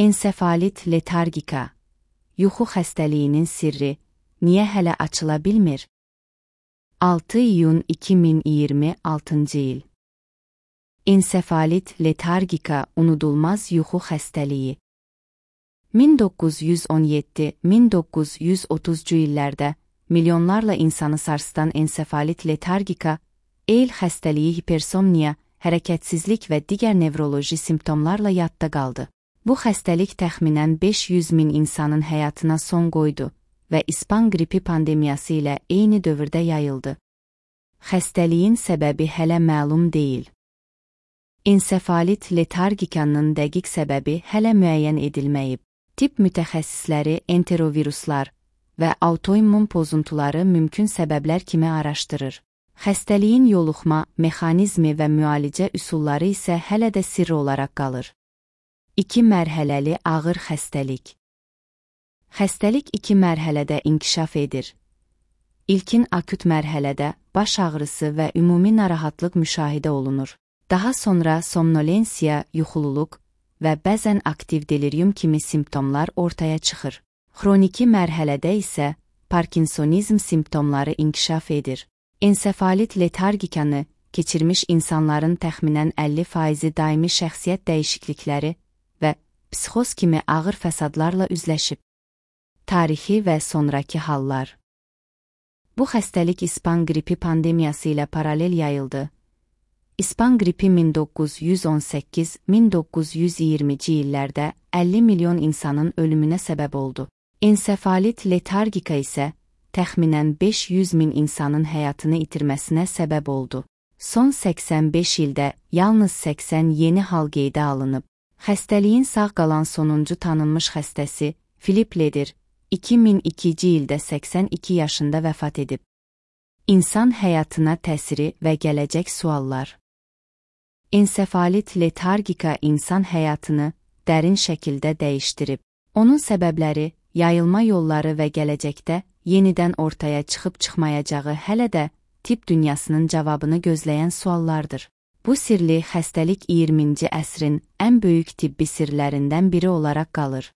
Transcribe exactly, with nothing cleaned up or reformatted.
Ensefalit letargika, yuxu xəstəliyinin sirri niyə hələ açıla bilmir? altı iyun iki min iyirmi altıncı il. Ensefalit letargika unudulmaz yuxu xəstəliyi. min doqquz yüz on yeddi - min doqquz yüz otuzcu illərdə milyonlarla insanı sarsıdan ensefalit letargika, eyl xəstəliyi hipersomniya, hərəkətsizlik və digər nevroloji simptomlarla yadda qaldı. Bu xəstəlik təxminən beş yüz min insanın həyatına son qoydu və İspan qripi pandemiyası ilə eyni dövrdə yayıldı. Xəstəliyin səbəbi hələ məlum deyil. Ensefalit letargikanın dəqiq səbəbi hələ müəyyən edilməyib. Tibb mütəxəssisləri enteroviruslar və autoimmun pozuntuları mümkün səbəblər kimi araşdırır. Xəstəliyin yoluxma, mexanizmi və müalicə üsulları isə hələ də sirri olaraq qalır. İki mərhələli ağır xəstəlik. Xəstəlik iki mərhələdə inkişaf edir. İlkin akut mərhələdə baş ağrısı və ümumi narahatlıq müşahidə olunur. Daha sonra somnolensiya, yuxululuq və bəzən aktiv delirium kimi simptomlar ortaya çıxır. Xroniki mərhələdə isə Parkinsonizm simptomları inkişaf edir. Ensefalit letargikanı keçirmiş insanların təxminən əlli faizi daimi şəxsiyyət dəyişiklikləri və psixoz kimi ağır fəsadlarla üzləşib. Tarixi və sonrakı hallar. Bu xəstəlik İspan qripi pandemiyası ilə paralel yayıldı. İspan qripi min doqquz yüz on səkkiz - min doqquz yüz iyirmici illərdə əlli milyon insanın ölümünə səbəb oldu. Ensefalit letargika isə təxminən beş yüz min insanın həyatını itirməsinə səbəb oldu. Son səksən beş ildə yalnız səksən yeni hal qeydə alınıb. Xəstəliyin sağ qalan sonuncu tanınmış xəstəsi Philip Leder iki min ikinci ildə səksən iki yaşında vəfat edib. İnsan həyatına təsiri və gələcək suallar. Ensefalit letargika insan həyatını dərin şəkildə dəyişdirib. Onun səbəbləri, yayılma yolları və gələcəkdə yenidən ortaya çıxıb çıxmayacağı hələ də tibb dünyasının cavabını gözləyən suallardır. Bu sirli xəstəlik iyirminci əsrin ən böyük tibbi sirlərindən biri olaraq qalır.